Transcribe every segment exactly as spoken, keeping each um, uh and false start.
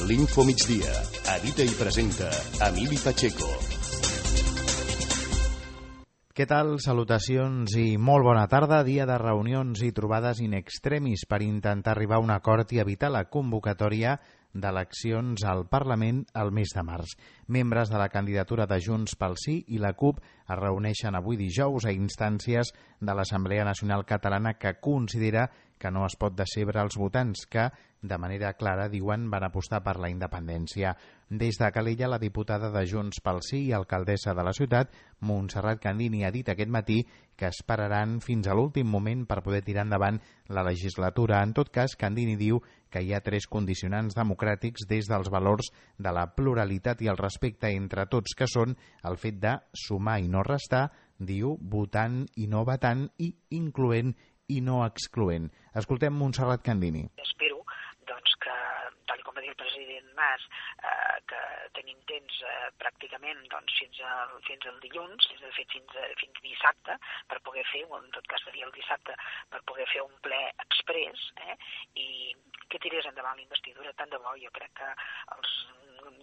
L'Info Migdia. Edita i presenta Emili Pacheco. Què tal? Salutacions i molt bona tarda. Dia de reunions i trobades in extremis per intentar arribar a un acord i evitar la convocatòria d'eleccions al Parlament al mes de març. Membres de la candidatura de Junts pel Sí i la CUP es reuneixen avui dijous a instàncies de l'Assemblea Nacional Catalana, que considera que no es pot decebre els votants que, de manera clara, diuen van apostar per la independència. Des de Calella, la diputada de Junts pel Sí i alcaldessa de la ciutat, Montserrat Candini, ha dit aquest matí que esperaran fins a l'últim moment per poder tirar endavant la legislatura. En tot cas, Candini diu que hi ha tres condicionants democràtics des dels valors de la pluralitat i el respecte entre tots, que són el fet de sumar i no restar, diu, votant i no vetant, i incloent i no excloent. Escoltem Montserrat Candini. Espero doncs, que, tal com va dir el president Mas, eh, que tenim temps eh, pràcticament doncs, fins, al, fins al dilluns, de fet fins, a, fins dissabte, per poder fer, o en tot cas seria el dissabte, per poder fer un ple express, eh, i que tirés endavant la investidura. Tant de bo, jo crec que els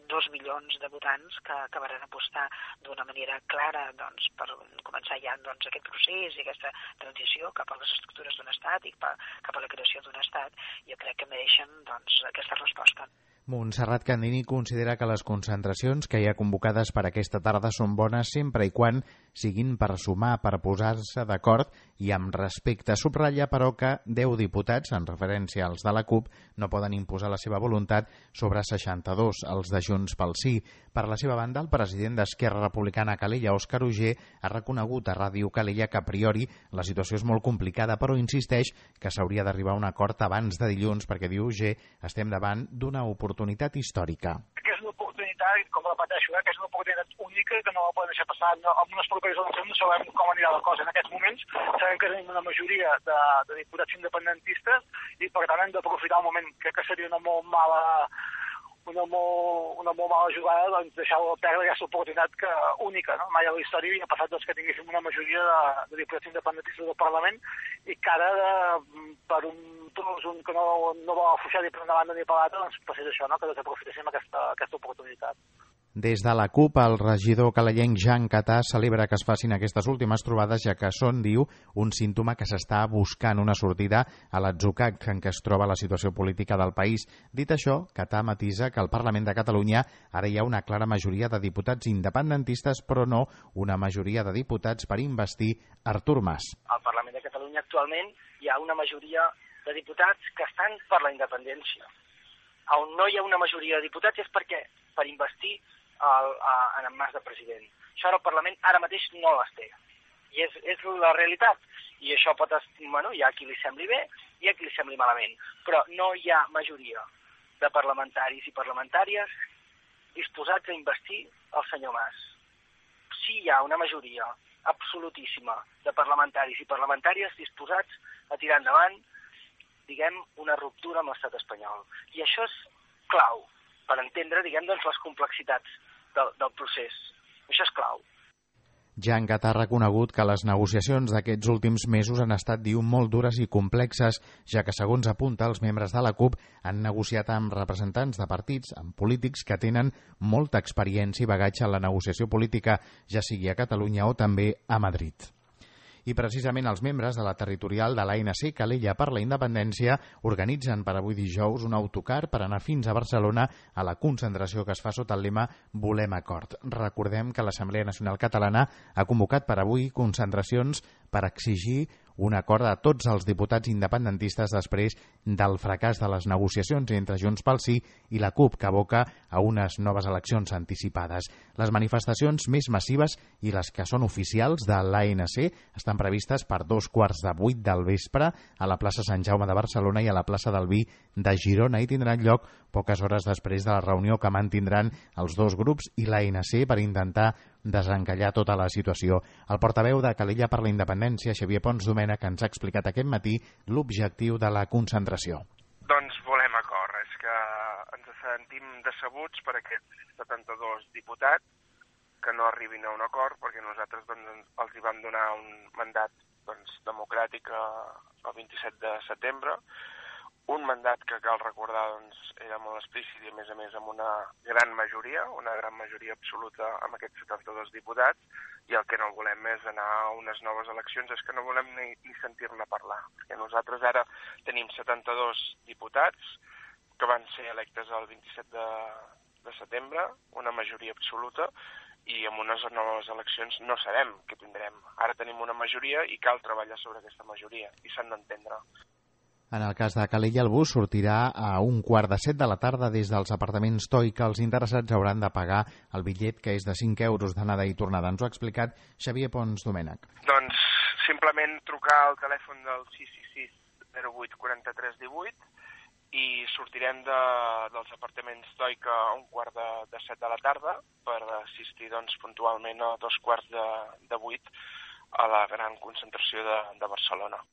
dos milions de votants que acabaran apostar d'una manera clara doncs, per començar ja doncs, aquest procés i aquesta transició cap a les estructures d'un estat i cap a la creació d'un estat, jo crec que mereixen doncs, aquesta resposta. Montserrat Candini considera que les concentracions que hi ha convocades per aquesta tarda són bones sempre i quan siguin per sumar, per posar-se d'acord i amb respecte. Subratlla, però, que deu diputats, en referència als de la CUP, no poden imposar la seva voluntat sobre seixanta-dos, els de Junts pel Sí. Per la seva banda, el president d'Esquerra Republicana a Calella, Òscar Uger, ha reconegut a Ràdio Calella que a priori la situació és molt complicada, però insisteix que s'hauria d'arribar a un acord abans de dilluns, perquè, diu Uger, estem davant d'una oportunitat històrica. Que és una oportunitat, com repeteixo, eh, que és una oportunitat única que no la podem deixar passar. No, amb unes properes eleccions no sabem com anirà la cosa. En aquests moments sabem que tenim una majoria de, de diputats independentistes i per tant hem d'aprofitar el moment. Crec que seria una molt mala una molt, una molt mala jugada doncs, deixar-la perdre aquesta oportunitat que, única. No? Mai a la història havia passat doncs, que tinguéssim una majoria de, de diputats independentistes del Parlament i que ara, de, per un tros un que no, no vol afluixar ni per una banda ni per l'altra, doncs passés això, no? Que desaprofitéssim aquesta, aquesta oportunitat. Des de la CUP, el regidor calellenc Jan Catà celebra que es facin aquestes últimes trobades, ja que són, diu, un símptoma que s'està buscant una sortida a l'atzucac en què es troba la situació política del país. Dit això, Catà matisa que al Parlament de Catalunya ara hi ha una clara majoria de diputats independentistes, però no una majoria de diputats per investir Artur Mas. Al Parlament de Catalunya actualment hi ha una majoria de diputats que estan per la independència. On no hi ha una majoria de diputats és perquè per investir El, a, en el Mas de president. Això ara el Parlament ara mateix no les té. I és, és la realitat. I això pot... Bueno, hi ha qui li sembli bé i hi ha qui li sembli malament. Però no hi ha majoria de parlamentaris i parlamentàries disposats a investir el senyor Mas. Sí hi ha una majoria absolutíssima de parlamentaris i parlamentàries disposats a tirar endavant, diguem, una ruptura amb l'estat espanyol. I això és clau per entendre, diguem, doncs, les complexitats del, del procés. Això és clau. Jan Catà ha reconegut que les negociacions d'aquests últims mesos han estat, diu, molt dures i complexes, ja que, segons apunta, els membres de la CUP han negociat amb representants de partits, amb polítics que tenen molta experiència i bagatge en la negociació política, ja sigui a Catalunya o també a Madrid. I precisament els membres de la territorial de l'A N C Calella per la Independència organitzen per avui dijous un autocar per anar fins a Barcelona a la concentració que es fa sota el lema Volem acord. Recordem que l'Assemblea Nacional Catalana ha convocat per avui concentracions per exigir un acord a tots els diputats independentistes després del fracàs de les negociacions entre Junts pel Sí i la CUP, que aboca a unes noves eleccions anticipades. Les manifestacions més massives i les que són oficials de l'A N C estan previstes per dos quarts de vuit del vespre a la plaça Sant Jaume de Barcelona i a la plaça del Vi de Girona, i tindran lloc poques hores després de la reunió que mantindran els dos grups i l'A N C per intentar desencallar tota la situació. El portaveu de Calella per la Independència, Xavier Pons Domènech, ens ha explicat aquest matí l'objectiu de la concentració. Doncs volem acord. És que ens sentim decebuts per aquests setanta-dos diputats que no arribin a un acord, perquè nosaltres doncs, els hi vam donar un mandat doncs, democràtic el vint-i-set de setembre, Un mandat que cal recordar doncs, era molt explícit i a més a més amb una gran majoria, una gran majoria absoluta amb aquests setanta-dos diputats, i el que no volem és anar a unes noves eleccions, és que no volem ni, ni sentir-ne parlar, perquè nosaltres ara tenim setanta-dos diputats que van ser electes el vint-i-set de, de setembre, una majoria absoluta, i amb unes noves eleccions no sabem què tindrem. Ara tenim una majoria i cal treballar sobre aquesta majoria, i s'han d'entendre. En el cas de Calella, el bus sortirà a un quart de set de la tarda des dels apartaments Toi, que els interessats hauran de pagar el bitllet, que és de cinc euros d'anada i tornada. Ens ho ha explicat Xavier Pons Domènech. Doncs simplement trucar al telèfon del sis sis sis zero vuit quaranta-tres divuit i sortirem de, dels apartaments Toi a un quart de, de set de la tarda per assistir doncs, puntualment a dos quarts de, de vuit a la gran concentració de, de Barcelona.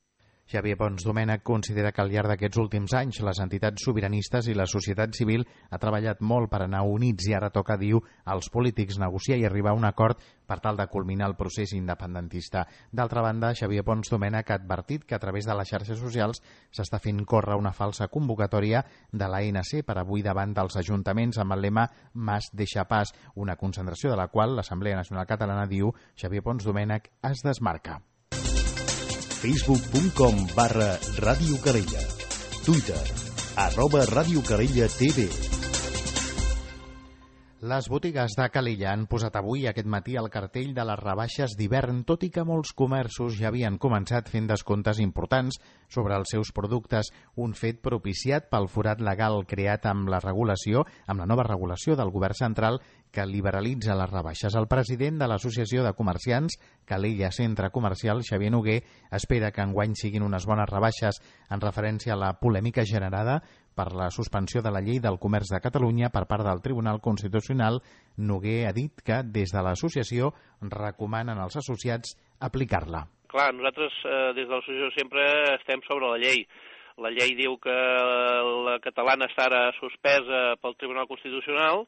Xavier Pons Domènech considera que al llarg d'aquests últims anys les entitats sobiranistes i la societat civil ha treballat molt per anar units i ara toca, diu, als polítics negociar i arribar a un acord per tal de culminar el procés independentista. D'altra banda, Xavier Pons Domènech ha advertit que a través de les xarxes socials s'està fent córrer una falsa convocatòria de l'A N C per avui davant dels ajuntaments amb el lema Mas deixa pas, una concentració de la qual l'Assemblea Nacional Catalana, diu, Xavier Pons Domènech es desmarca. facebook punt com barra Ràdio Calella. Twitter, arroba Ràdio Calella T V. Les botigues de Calella han posat avui aquest matí el cartell de les rebaixes d'hivern, tot i que molts comerços ja havien començat fent descomptes importants sobre els seus productes, un fet propiciat pel forat legal creat amb la regulació, amb la nova regulació del govern central que liberalitza les rebaixes. El president de l'Associació de Comerciants Calella Centre Comercial, Xavier Noguer, espera que enguany siguin unes bones rebaixes en referència a la polèmica generada per la suspensió de la llei del comerç de Catalunya per part del Tribunal Constitucional. Noguer ha dit que des de l'associació recomanen als associats aplicar-la. Clar, nosaltres eh, des de l'associació sempre estem sobre la llei. La llei diu que la catalana està ara suspesa pel Tribunal Constitucional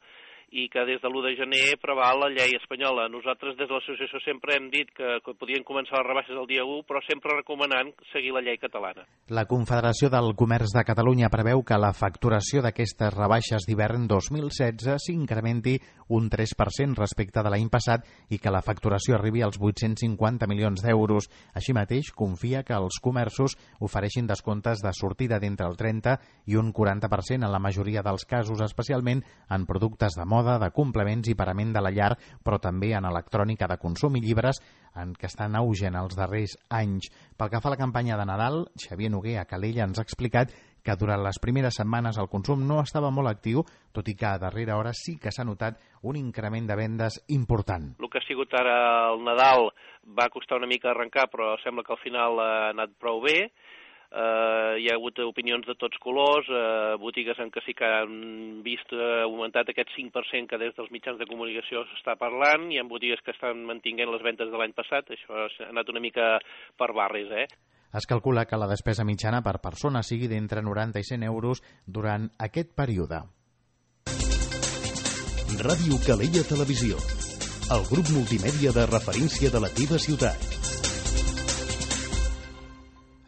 i que des de l'u de gener preval la llei espanyola. Nosaltres des de l'associació sempre hem dit que, que podien començar les rebaixes el dia u, però sempre recomanant seguir la llei catalana. La Confederació del Comerç de Catalunya preveu que la facturació d'aquestes rebaixes d'hivern dos mil setze s'incrementi un tres per cent respecte de l'any passat i que la facturació arribi als vuit-cents cinquanta milions d'euros. Així mateix, confia que els comerços ofereixin descomptes de sortida d'entre el trenta i un quaranta per cent en la majoria dels casos, especialment en productes de moda, de complements i parament de la llar, però també en electrònica de consum i llibres, en què estan en auge en els darrers anys. Pel que fa a la campanya de Nadal, Xavier Noguer a Calella ens ha explicat que durant les primeres setmanes el consum no estava molt actiu, tot i que a darrera hora sí que s'ha notat un increment de vendes important. El que ha sigut ara el Nadal va costar una mica arrencar, però sembla que al final ha anat prou bé. Uh, hi ha hagut opinions de tots colors, uh, botigues en què sí que han vist uh, augmentat aquest cinc per cent que des dels mitjans de comunicació s'està parlant, hi ha botigues que estan mantinguent les ventes de l'any passat, això ha anat una mica per barris, eh? Es calcula que la despesa mitjana per persona sigui d'entre noranta i cent euros durant aquest període. Ràdio Calella Televisió, el grup multimèdia de referència de la teva ciutat.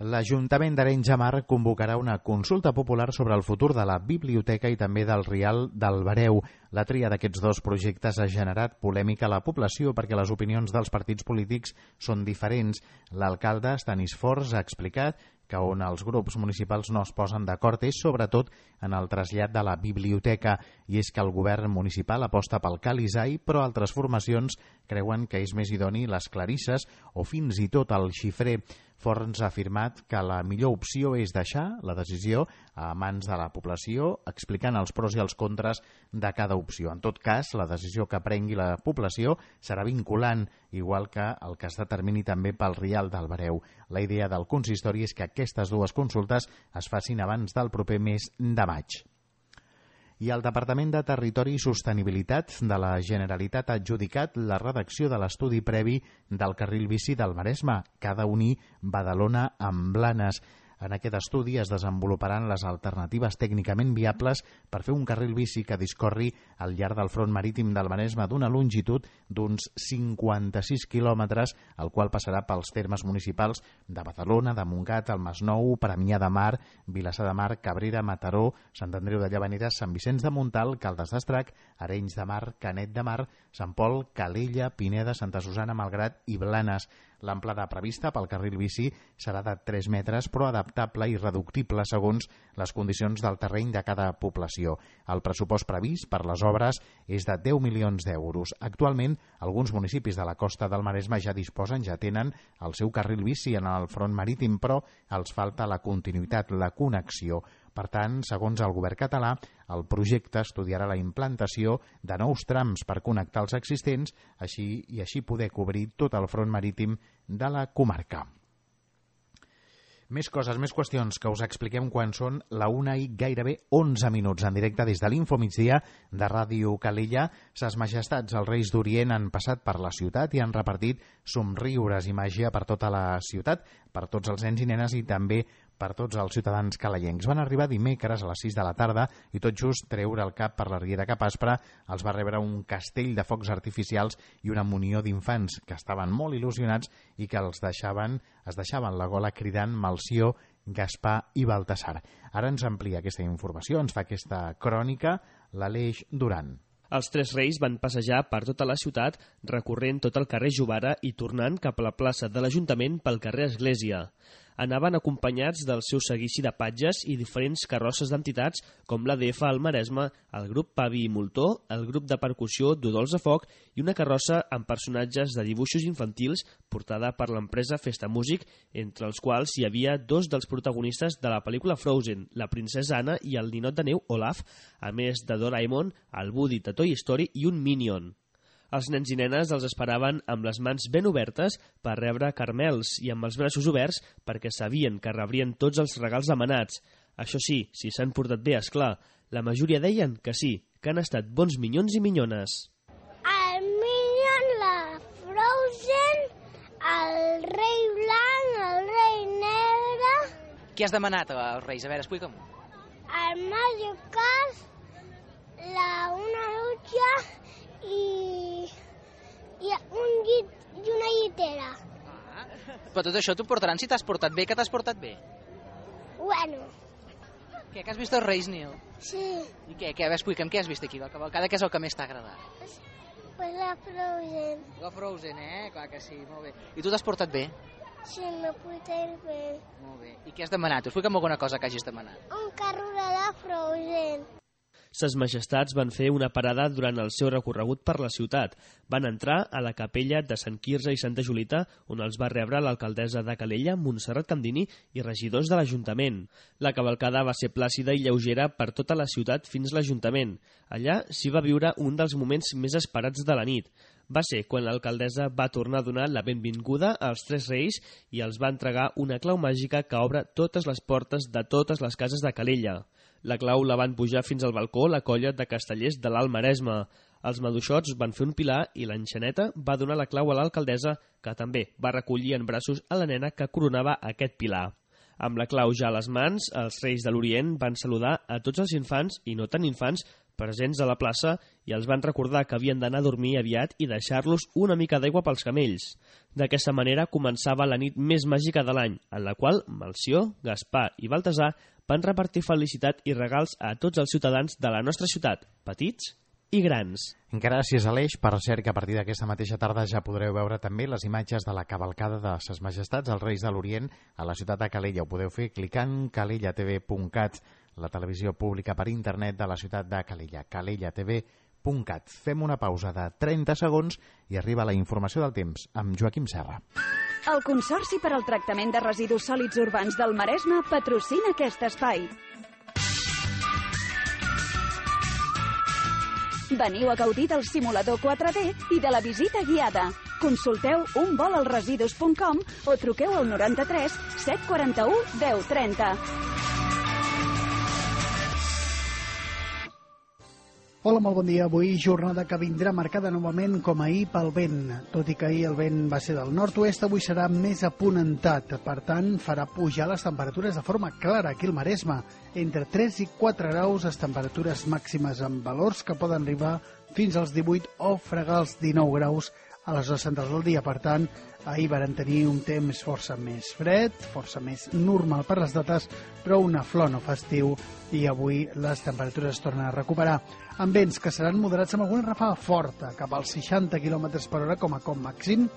L'Ajuntament d'Arenys de Mar convocarà una consulta popular sobre el futur de la biblioteca i també del Rial del Bareu. La tria d'aquests dos projectes ha generat polèmica a la població perquè les opinions dels partits polítics són diferents. L'alcalde Estanis Forns ha explicat que on els grups municipals no es posen d'acord és sobretot en el trasllat de la biblioteca, i és que el govern municipal aposta pel Calisai, però altres formacions creuen que és més idoni les clarisses o fins i tot el xifrer. Forns ha afirmat que la millor opció és deixar la decisió a mans de la població, explicant els pros i els contres de cada opció. En tot cas, la decisió que prengui la població serà vinculant, igual que el que es determini també pel Rial del Bareu. La idea del consistori és que aquestes dues consultes es facin abans del proper mes de maig. I el Departament de Territori i Sostenibilitat de la Generalitat ha adjudicat la redacció de l'estudi previ del carril bici del Maresme, que ha d'unir Badalona amb Blanes. En aquest estudi es desenvoluparan les alternatives tècnicament viables per fer un carril bici que discorri al llarg del front marítim del Maresme d'una longitud d'uns cinquanta-sis quilòmetres, el qual passarà pels termes municipals de Badalona, de Montgat, el Masnou, Premià de Mar, Vilassar de Mar, Cabrera, Mataró, Sant Andreu de Llavaneres, Sant Vicenç de Montalt, Caldes d'Estrac, Arenys de Mar, Canet de Mar, Sant Pol, Calella, Pineda, Santa Susana, Malgrat i Blanes. L'amplada prevista pel carril bici serà de tres metres, però adaptable i reductible segons les condicions del terreny de cada població. El pressupost previst per les obres és de deu milions d'euros. Actualment, alguns municipis de la costa del Maresme ja disposen, ja tenen el seu carril bici en el front marítim, però els falta la continuïtat, la connexió. Per tant, segons el govern català, el projecte estudiarà la implantació de nous trams per connectar els existents així i així poder cobrir tot el front marítim de la comarca. Més coses, més qüestions que us expliquem quan són la una i gairebé onze minuts en directe des de l'Infomigdia de Ràdio Calella. Ses majestats, els Reis d'Orient, han passat per la ciutat i han repartit somriures i màgia per tota la ciutat, per tots els nens i nenes i també per tots els ciutadans calayencs. Van arribar dimecres a les sis de la tarda i tot just treure el cap per la riera Capaspra els va rebre un castell de focs artificials i una munió d'infants que estaven molt il·lusionats i que els deixaven, es deixaven la gola cridant Melcior, Gaspar i Baltasar. Ara ens amplia aquesta informació, ens fa aquesta crònica l'Aleix Duran. Els tres reis van passejar per tota la ciutat, recorrent tot el carrer Jovara i tornant cap a la plaça de l'Ajuntament pel carrer Església. Anaven acompanyats del seu seguici de patges i diferents carrosses d'entitats com l'A D F al Maresme, el grup Pavi i Moltó, el grup de percussió d'Udols de Foc i una carrossa amb personatges de dibuixos infantils portada per l'empresa Festa Músic, entre els quals hi havia dos dels protagonistes de la pel·lícula Frozen, la princesa Anna i el ninot de neu Olaf, a més de Doraemon, el Woody de Toy Story i un Minion. Els nens i nenes els esperaven amb les mans ben obertes per rebre caramels i amb els braços oberts perquè sabien que rebrien tots els regals demanats. Això sí, si s'han portat bé, esclar. La majoria deien que sí, que han estat bons minyons i minyones. El Minion, la Frozen, el rei blanc, el rei negre... Què has demanat als reis? A veure, explica'm-ho. El Mario Kart, la una dutxa i, i un llit i una llitera. Ah, però tot això t'ho portaran si t'has portat bé. Que t'has portat bé? Bueno. Què, que has vist els Reis, Nil? Sí. I què, què? A veure, explica'm, què has vist aquí? La cavalcada, què és el que més t'ha agradat? Pues la Frozen. La Frozen, eh? Clar que sí, molt bé. I tu t'has portat bé? Sí, m'he portat bé. Molt bé. I què has demanat? Explica'm alguna cosa que hagis demanat. Un carro de la Frozen. Ses majestats van fer una parada durant el seu recorregut per la ciutat. Van entrar a la capella de Sant Quirze i Santa Julita, on els va rebre l'alcaldessa de Calella, Montserrat Candini, i regidors de l'Ajuntament. La cavalcada va ser plàcida i lleugera per tota la ciutat fins a l'Ajuntament. Allà s'hi va viure un dels moments més esperats de la nit. Va ser quan l'alcaldessa va tornar a donar la benvinguda als tres reis i els va entregar una clau màgica que obre totes les portes de totes les cases de Calella. La clau la van pujar fins al balcó la colla de castellers de l'Alt Maresme. Els maduixots van fer un pilar i l'enxaneta va donar la clau a l'alcaldessa, que també va recollir en braços a la nena que coronava aquest pilar. Amb la clau ja a les mans, els reis de l'Orient van saludar a tots els infants i no tan infants presents a la plaça i els van recordar que havien d'anar a dormir aviat i deixar-los una mica d'aigua pels camells. D'aquesta manera començava la nit més màgica de l'any, en la qual Melcior, Gaspar i Baltasar van repartir felicitat i regals a tots els ciutadans de la nostra ciutat, petits i grans. Gràcies, Aleix. Per cert, que a partir d'aquesta mateixa tarda ja podreu veure també les imatges de la cavalcada de ses majestats, els Reis de l'Orient, a la ciutat de Calella. Ho podeu fer clicant calella t v punt cat, la televisió pública per internet de la ciutat de Calella, calella t v punt cat. Fem una pausa de trenta segons i arriba la informació del temps amb Joaquim Serra. El Consorci per al Tractament de Residus Sòlids Urbans del Maresme patrocina aquest espai. Veniu a gaudir del simulador quatre D i de la visita guiada. Consulteu un vol al residus punt com o truqueu al noranta-tres set quaranta-u deu trenta. Hola, molt bon dia. Avui jornada que vindrà marcada novament com ahir pel vent. Tot i que ahir el vent va ser del nord-oest, avui serà més aponentat. Per tant, farà pujar les temperatures de forma clara aquí al Maresme. Entre tres i quatre graus, les temperatures màximes amb valors que poden arribar fins als divuit o fregar els dinou graus a les hores centrals del dia. Per tant, ahir varen tenir un temps força més fred, força més normal per les dates, però una flor no fa estiu i avui les temperatures es tornen a recuperar. Amb vents que seran moderats amb alguna rafada forta, cap als seixanta quilòmetres per hora com a com màxim,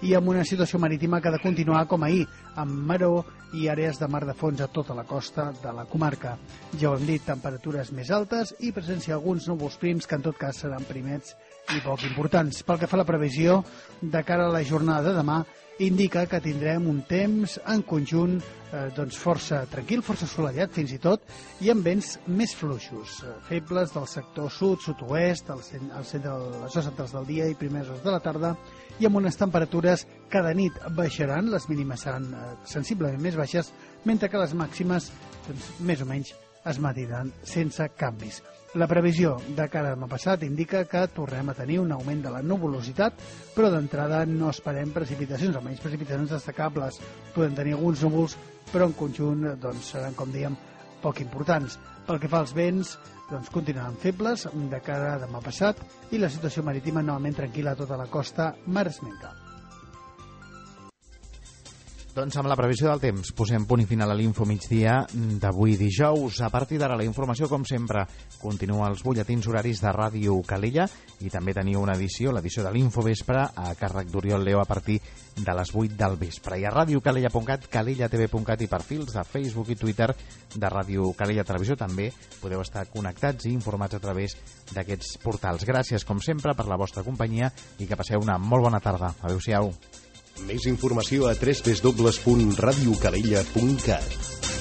i amb una situació marítima que ha de continuar com ahir, amb maró i àrees de mar de fons a tota la costa de la comarca. Ja ho hem dit, temperatures més altes i presència d'alguns núvols prims que en tot cas seran primets i poc importants. Pel que fa a la previsió, de cara a la jornada de demà, indica que tindrem un temps en conjunt eh, doncs força tranquil, força assolellat fins i tot, i amb vents més fluixos, eh, febles del sector sud, sud-oest, al centre de les hores centrals del dia i primeres hores de la tarda, i amb unes temperatures que de nit baixaran, les mínimes seran eh, sensiblement més baixes, mentre que les màximes doncs, més o menys es mantindran sense canvis. La previsió de cara a demà passat indica que tornem a tenir un augment de la nuvolositat, però d'entrada no esperem precipitacions, almenys precipitacions destacables. Podem tenir alguns núvols, però en conjunt doncs, seran, com dèiem, poc importants. Pel que fa als vents, doncs, continuaran febles de cara a demà passat i la situació marítima novament tranquil·la a tota la costa maresmenca. Doncs amb la previsió del temps posem punt i final a l'Info Migdia d'avui dijous. A partir d'ara la informació, com sempre, continua als butlletins horaris de Ràdio Calella i també teniu una edició, l'edició de l'Info Vespre, a càrrec d'Oriol Leo a partir de les vuit del vespre. I a radiocalella punt cat, calellatv punt cat i perfils de Facebook i Twitter de Ràdio Calella Televisió també podeu estar connectats i informats a través d'aquests portals. Gràcies, com sempre, per la vostra companyia i que passeu una molt bona tarda. Adéu-siau. Més informació a w w w punt radiocalella punt cat.